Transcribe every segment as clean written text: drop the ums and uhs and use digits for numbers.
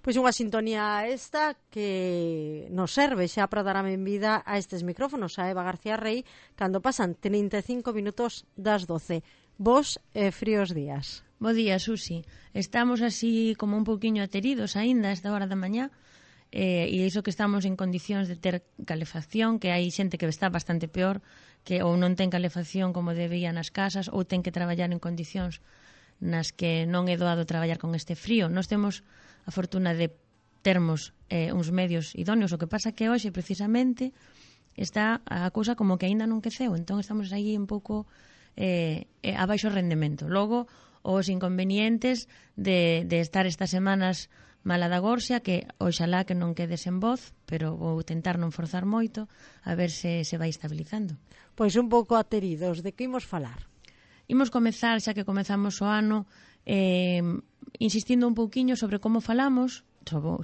Pois unha sintonía esta que nos serve xa para dar a benvida a estes micrófonos a Eva García Rey cando pasan 35 minutos das 12. Bos e fríos días. Bo día, Susi. Estamos así como un pouquiño ateridos aínda a esta hora da mañá, e iso que estamos en condicións de ter calefacción, que hai xente que está bastante peor, que ou non ten calefacción como debía nas casas, ou ten que traballar en condicións nas que non é doado traballar con este frío. Nós temos a fortuna de termos uns medios idóneos, o que pasa que hoxe precisamente está a cousa como que aínda non queceu, entón estamos aí un pouco a baixo rendemento. Logo, os inconvenientes de estar estas semanas mala da gorxa, que oxalá que non quede sen voz, pero vou tentar non forzar moito, a ver se vai estabilizando. Pois un pouco ateridos, de que imos falar? Imos comezar, xa que comezamos o ano, insistindo un pouquiño sobre como falamos,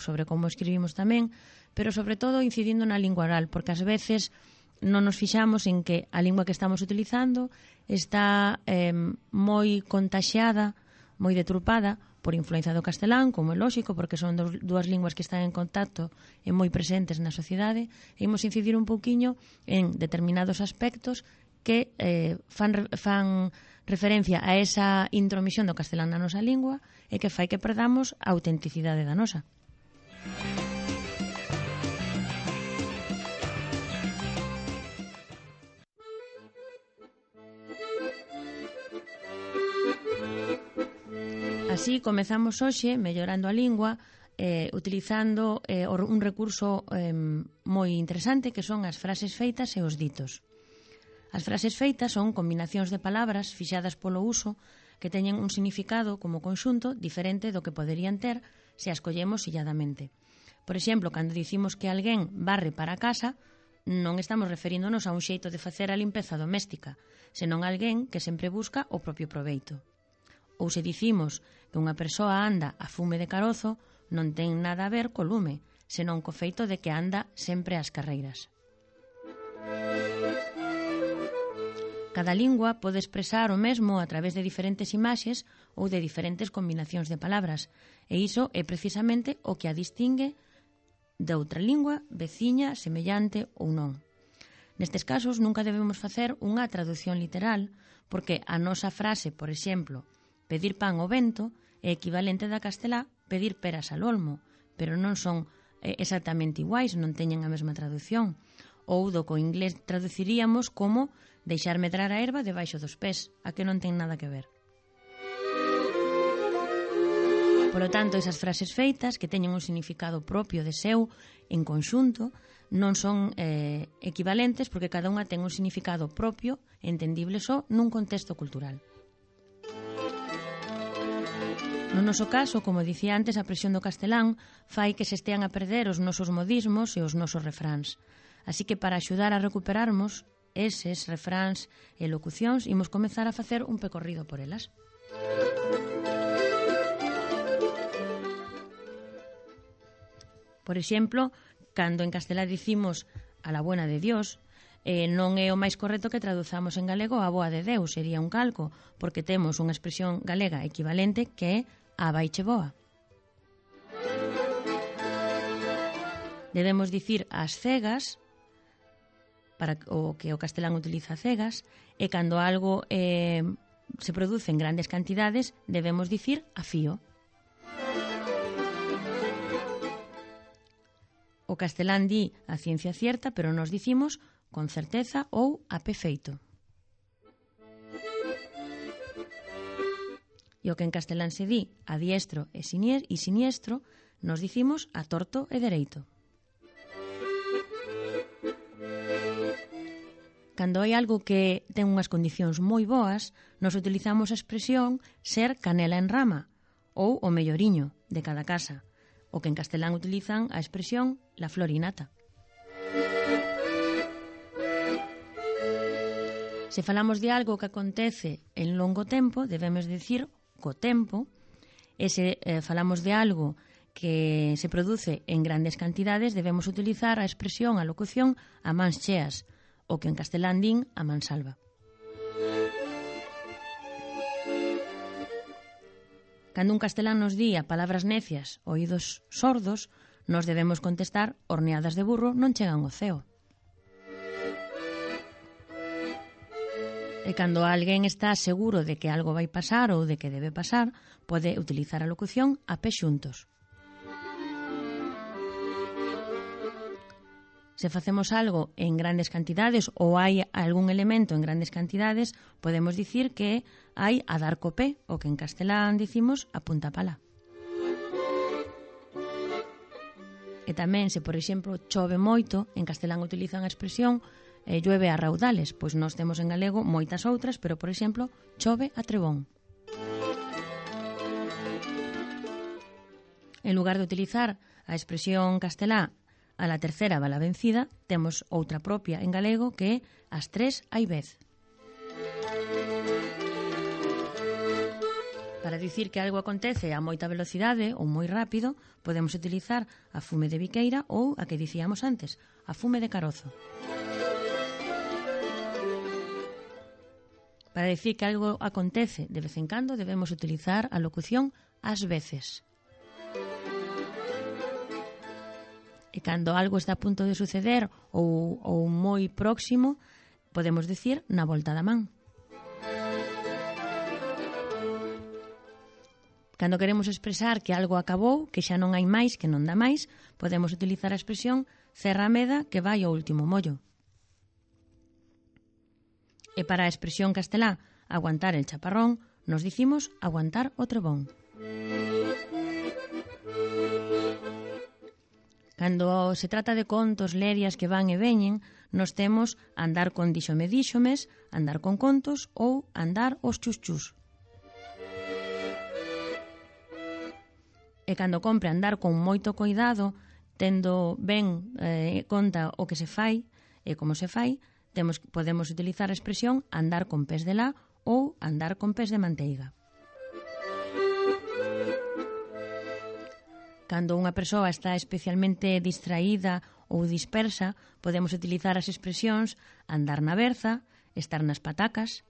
sobre como escribimos tamén, pero sobre todo incidindo na lingua oral, porque ás veces non nos fixamos en que a lingua que estamos utilizando está moi contaxiada, moi detrupada por influencia do castelán, como é lóxico, porque son dúas linguas que están en contacto e moi presentes na sociedade, e imos incidir un pouquiño en determinados aspectos que fan referencia a esa intromisión do castelán na nosa lingua e que fai que perdamos a autenticidade da nosa. Así, comezamos hoxe mellorando a lingua utilizando un recurso moi interesante que son as frases feitas e os ditos. As frases feitas son combinacións de palabras fixadas polo uso que teñen un significado como conxunto diferente do que poderían ter se as collemos illadamente. Por exemplo, cando dicimos que alguén varre para a casa, non estamos referíndonos a un xeito de facer a limpeza doméstica, senón a alguén que sempre busca o propio proveito. Ou se dicimos que unha persoa anda a fume de carozo, non ten nada a ver co lume, senón co feito de que anda sempre ás carreiras. Cada lingua pode expresar o mesmo a través de diferentes imaxes ou de diferentes combinacións de palabras, e iso é precisamente o que a distingue de outra lingua, veciña, semellante ou non. Nestes casos nunca debemos facer unha traducción literal, porque a nosa frase, por exemplo, pedir pan ao vento, é equivalente da castelá pedir peras al olmo, pero non son exactamente iguais, non teñen a mesma traducción. Ou do co inglés traduciríamos como deixar medrar a erva debaixo dos pés, a que non ten nada que ver. Polo tanto, esas frases feitas que teñen un significado propio de seu en conxunto non son equivalentes porque cada unha ten un significado propio, entendible só nun contexto cultural. No noso caso, como dicía antes, a presión do castelán fai que se estean a perder os nosos modismos e os nosos refráns. Así que para axudar a recuperarmos eses refráns e locucións, imos comezar a facer un pecorrido por elas. Por exemplo, cando en castelá dicimos a la buena de Dios, non é o máis correcto que traduzamos en galego a boa de Deus, sería un calco, porque temos unha expresión galega equivalente que é a vaiche boa. Debemos dicir as cegas, para o que o castelán utiliza cegas, e cando algo se produce en grandes cantidades, debemos dicir a fío. O castelán di a ciencia cierta, pero nos dicimos con certeza ou a pé feito. E o que en castelán se di a diestro e siniestro, nos dicimos a torto e dereito. Cando hai algo que ten unhas condicións moi boas, nos utilizamos a expresión ser canela en rama ou o melloriño de cada casa, o que en castelán utilizan a expresión la florinata. Se falamos de algo que acontece en longo tempo, debemos dicir co tempo, e se falamos de algo que se produce en grandes cantidades, debemos utilizar a expresión, a locución, a mans cheas, o que en castelán din a mansalva. Cando un castelán nos di a palabras necias, oídos sordos, nos debemos contestar horneadas de burro non chegan ao ceo. E cando alguén está seguro de que algo vai pasar ou de que debe pasar, pode utilizar a locución a pé xuntos. Se facemos algo en grandes cantidades ou hai algún elemento en grandes cantidades, podemos dicir que hai a dar co pé, o que en castelán dicimos a punta pala. E tamén, se por exemplo chove moito, en castelán utilizan a expresión llueve a raudales, pois nós temos en galego moitas outras, pero por exemplo chove a trebón. En lugar de utilizar a expresión castelá a la tercera va la vencida, temos outra propia en galego que é as tres hai vez. Para dicir que algo acontece a moita velocidade ou moi rápido, podemos utilizar a fume de biqueira ou a que dicíamos antes, a fume de carozo. Para dicir que algo acontece de vez en cando, debemos utilizar a locución ás veces. E cando algo está a punto de suceder ou moi próximo, podemos dicir na volta da man. Cando queremos expresar que algo acabou, que xa non hai máis, que non dá máis, podemos utilizar a expresión cerra a meda que vai ao último mollo. E para a expresión castelá aguantar el chaparrón, nos dicimos aguantar o trebón. Cando se trata de contos, lerias que van e veñen, nos temos andar con díxomes, andar con contos ou andar os chus. E cando compre andar con moito cuidado, tendo ben conta o que se fai e como se fai, podemos utilizar a expresión andar con pés de lá ou andar con pés de manteiga. Cando unha persoa está especialmente distraída ou dispersa, podemos utilizar as expresións andar na berza, estar nas patacas,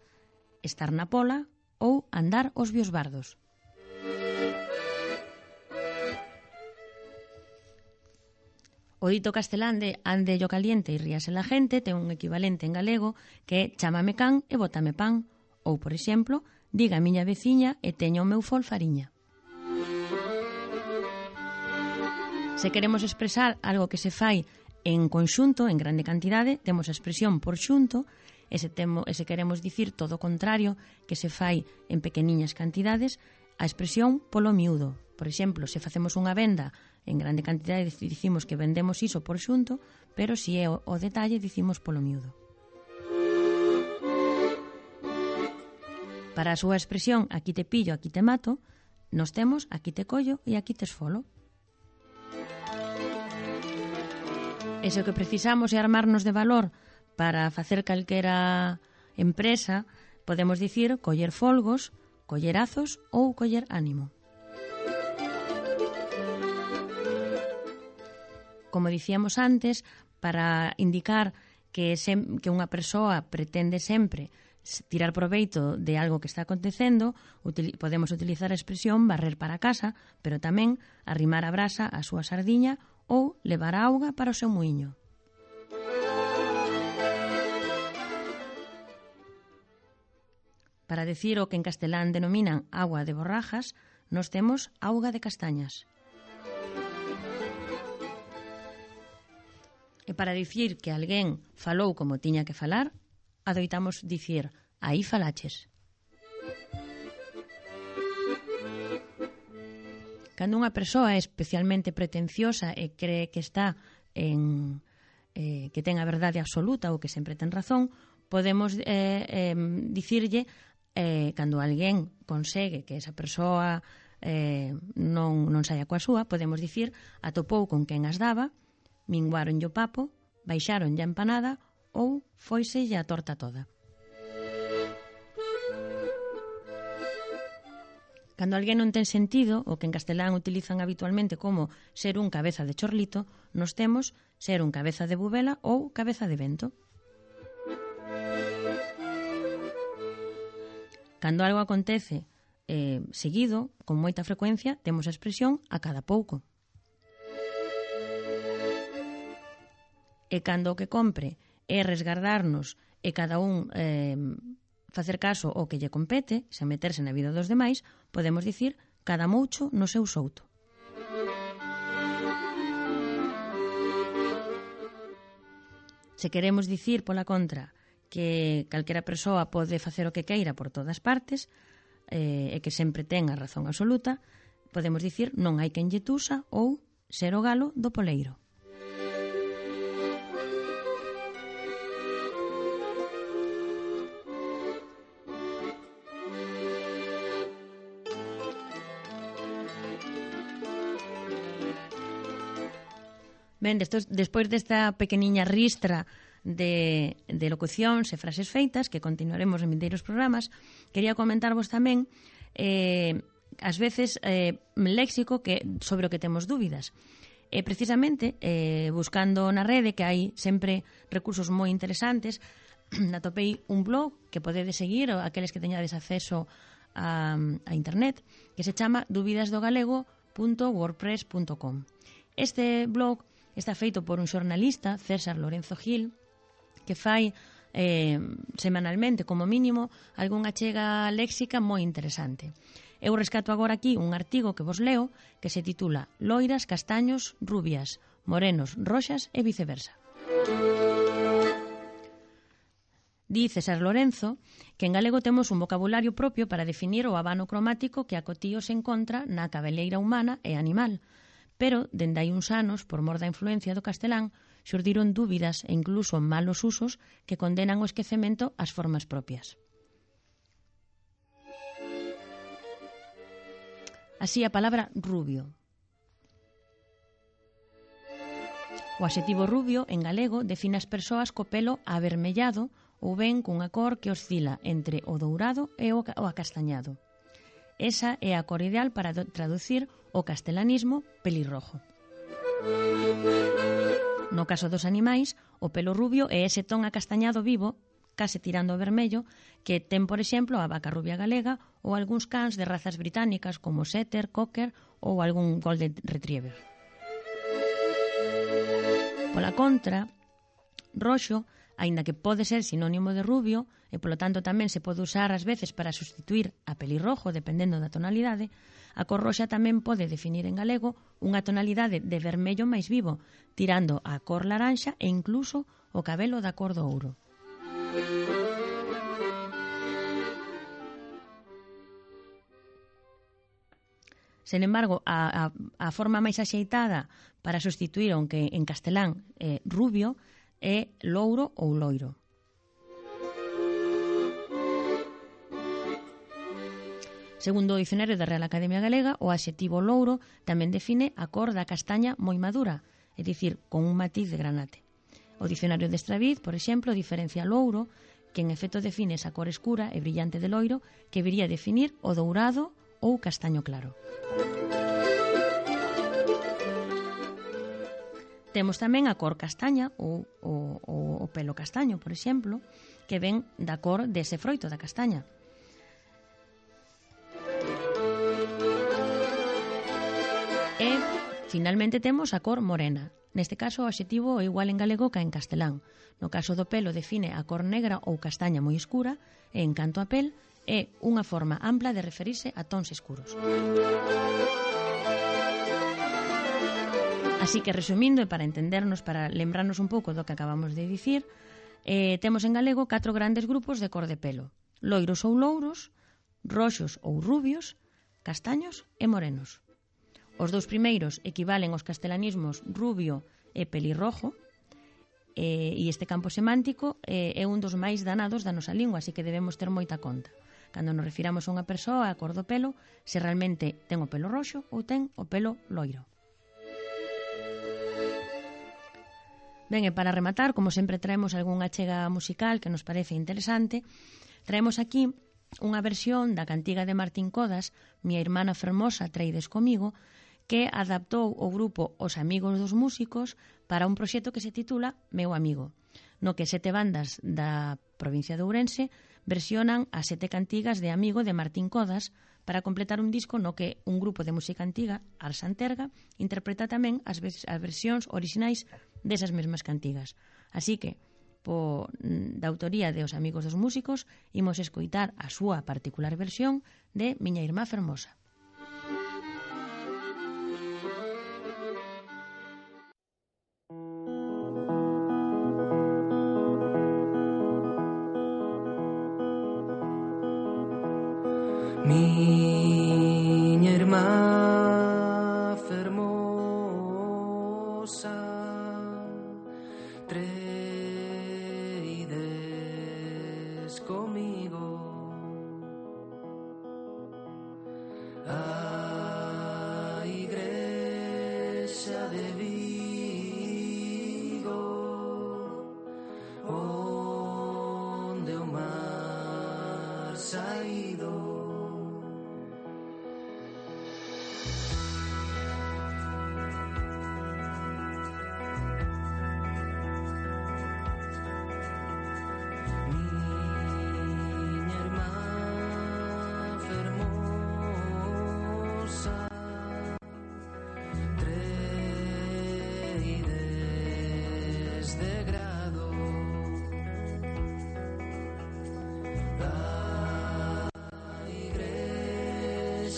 estar na pola ou andar os biosbardos. O dito castelán de ande yo caliente e ríase la gente ten un equivalente en galego que é chámame can e bótame pan, ou, por exemplo, diga a miña veciña e teño o meu fol fariña. Se queremos expresar algo que se fai en conxunto, en grande cantidade, temos a expresión por xunto, e se queremos dicir todo o contrario, que se fai en pequeniñas cantidades, a expresión polo miúdo. Por exemplo, se facemos unha venda en grande cantidade, dicimos que vendemos iso por xunto, pero se é o detalle, dicimos polo miúdo. Para a súa expresión aquí te pillo, aquí te mato, nos temos aquí te collo e aquí te esfolo. E se o que precisamos é armarnos de valor para facer calquera empresa, podemos dicir coller folgos, coller azos ou coller ánimo. Como dicíamos antes, para indicar que unha persoa pretende sempre tirar proveito de algo que está acontecendo, podemos utilizar a expresión barrer para casa, pero tamén arrimar a brasa á súa sardiña ou levar a auga para o seu muiño. Para decir o que en castelán denominan agua de borrajas, nos temos auga de castañas. E para dicir que alguén falou como tiña que falar, adoitamos dicir aí falaches. Cando unha persoa é especialmente pretenciosa e cree que está que ten a verdade absoluta ou que sempre ten razón, podemos dicirlle, cando alguén consegue que esa persoa non saia coa súa, podemos dicir atopou con quen as daba, minguaron o papo, baixaron a empanada ou foise a torta toda. Cando alguén non ten sentido, o que en castelán utilizan habitualmente como ser un cabeza de chorlito, nos temos ser un cabeza de bubela ou cabeza de vento. Cando algo acontece seguido, con moita frecuencia, temos a expresión a cada pouco. E cando o que compre é resgardarnos e cada un facer caso ao que lle compete, sen meterse na vida dos demais, podemos dicir cada moucho no seu souto. Se queremos dicir, pola contra, que calquera persoa pode facer o que queira por todas partes e que sempre ten a razón absoluta, podemos dicir non hai quen lle tusa ou ser o galo do poleiro. Ben, despois desta pequeniña ristra de locucións e frases feitas, que continuaremos en vindeiros programas, quería comentarvos tamén ás veces léxico sobre o que temos dúbidas. Precisamente, buscando na rede, que hai sempre recursos moi interesantes, atopei un blog que podedes seguir, aqueles que teñades acceso a internet, que se chama dubidasdogalego.wordpress.com. Este blog está feito por un xornalista, César Lorenzo Gil, que fai semanalmente, como mínimo, algunha chega léxica moi interesante. Eu rescato agora aquí un artigo que vos leo que se titula Loiras, castaños, rubias, morenos, roxas e viceversa. Di César Lorenzo que en galego temos un vocabulario propio para definir o abano cromático que acotío se encontra na cabeleira humana e animal, pero, dende hai uns anos, por mor da influencia do castelán, xurdiron dúbidas e incluso malos usos que condenan o esquecemento ás formas propias. Así a palabra rubio. O adxetivo rubio, en galego, define as persoas co pelo avermellado ou ben cunha cor que oscila entre o dourado e o acastañado. Esa é a cor ideal para traducir o castelanismo pelirrojo. No caso dos animais, o pelo rubio é ese ton acastañado vivo, case tirando ao vermello, que ten, por exemplo, a vaca rubia galega ou algúns cans de razas británicas como setter, cocker ou algún golden retriever. Pola contra, roxo, aínda que pode ser sinónimo de rubio, e polo tanto tamén se pode usar ás veces para sustituir a pelirrojo dependendo da tonalidade, a cor roxa tamén pode definir en galego unha tonalidade de vermello máis vivo, tirando a cor laranxa e incluso o cabelo da cor do ouro. Sen embargo, a forma máis axeitada para sustituir, aunque en castelán rubio, é louro ou loiro. Segundo o dicionario da Real Academia Galega, o adxetivo louro tamén define a cor da castaña moi madura, é dicir, con un matiz de granate. O dicionario de Estraviz, por exemplo, diferencia louro, que en efecto define esa cor escura e brillante de loiro, que viría a definir o dourado ou castaño claro. Temos tamén a cor castaña ou o pelo castaño, por exemplo, que ven da cor dese froito da castaña. E, finalmente, temos a cor morena. Neste caso, o adxetivo é igual en galego que en castelán. No caso do pelo, define a cor negra ou castaña moi escura, e, en canto a pel, é unha forma ampla de referirse a tons escuros. Así que, resumindo, e para entendernos, para lembrarnos un pouco do que acabamos de dicir, temos en galego 4 grandes grupos de cor de pelo: loiros ou louros, roxos ou rubios, castaños e morenos. Os dous primeiros equivalen aos castelanismos rubio e pelirrojo, e este campo semántico é un dos máis danados da nosa lingua, así que debemos ter moita conta cando nos refiramos a unha persoa a cor do pelo, se realmente ten o pelo roxo ou ten o pelo loiro. Ben, e para rematar, como sempre traemos algunha chega musical que nos parece interesante, traemos aquí unha versión da cantiga de Martín Codas, Mia irmana fermosa traides comigo, que adaptou o grupo Os Amigos dos Músicos para un proxecto que se titula Meu Amigo, no que 7 bandas da provincia de Ourense versionan as 7 cantigas de Amigo de Martín Codas para completar un disco no que un grupo de música antiga, Ars Anterga, interpreta tamén as versións orixinais desas mesmas cantigas. Así que, da autoría de Os Amigos dos Músicos, imos escoitar a súa particular versión de Miña Irmá Fermosa. Miña irmá fermosa, treides comigo a igrexa de Vigo, onde o mar saído.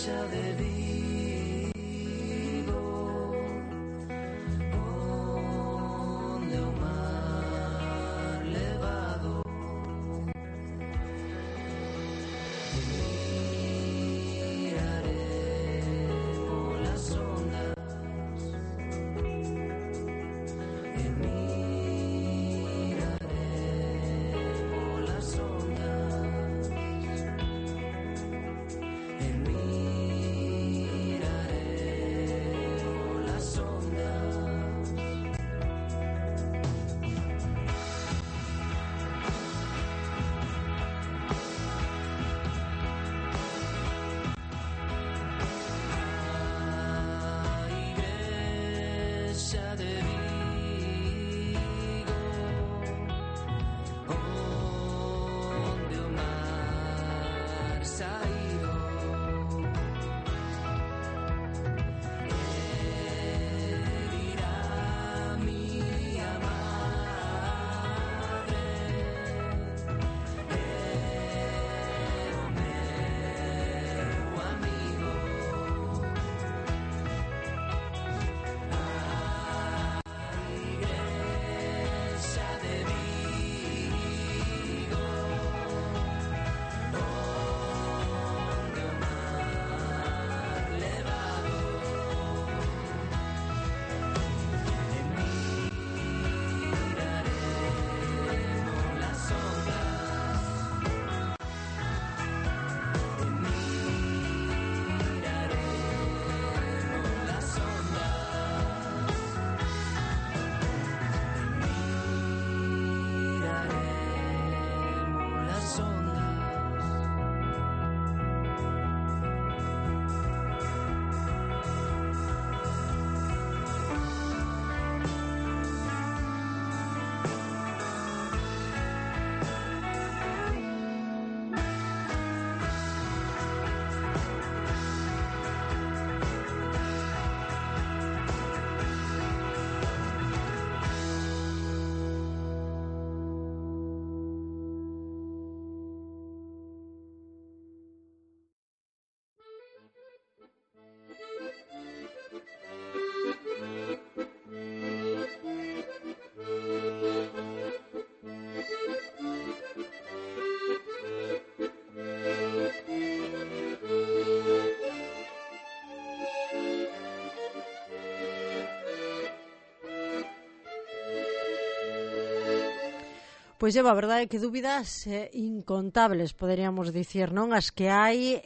De Vigo, onde o mar levado miraré polas ondas, miraré polas ondas, de Vigo, onde o mar saído dirá miña madre, o meu amigo. Pois a verdade é que dúbidas incontables, poderíamos dicir, non? As que hai,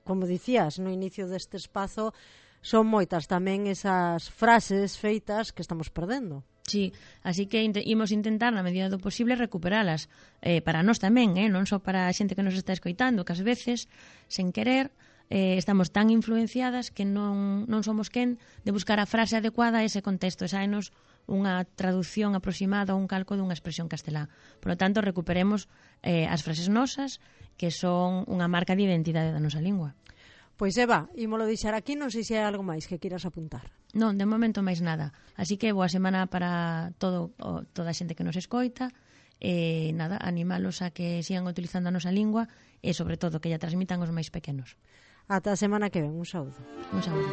como dicías no inicio deste espazo, son moitas tamén esas frases feitas que estamos perdendo. Sí, así que imos intentar na medida do posible recuperalas para nós tamén, non só para a xente que nos está escoitando, que ás veces, sen querer, estamos tan influenciadas que non somos quen de buscar a frase adecuada a ese contexto, e saenos unha traducción aproximada ou un calco dunha expresión castelá. Por lo tanto, recuperemos as frases nosas, que son unha marca de identidade da nosa lingua. Pois Eva, ímolo deixar aquí, non sei se hai algo máis que queiras apuntar. Non, de momento máis nada. Así que boa semana para toda a xente que nos escoita. Nada, animalos a que sigan utilizando a nosa lingua e, sobre todo, que lla transmitan os máis pequenos. Ata a semana que ven, un saúdo. Un saúdo.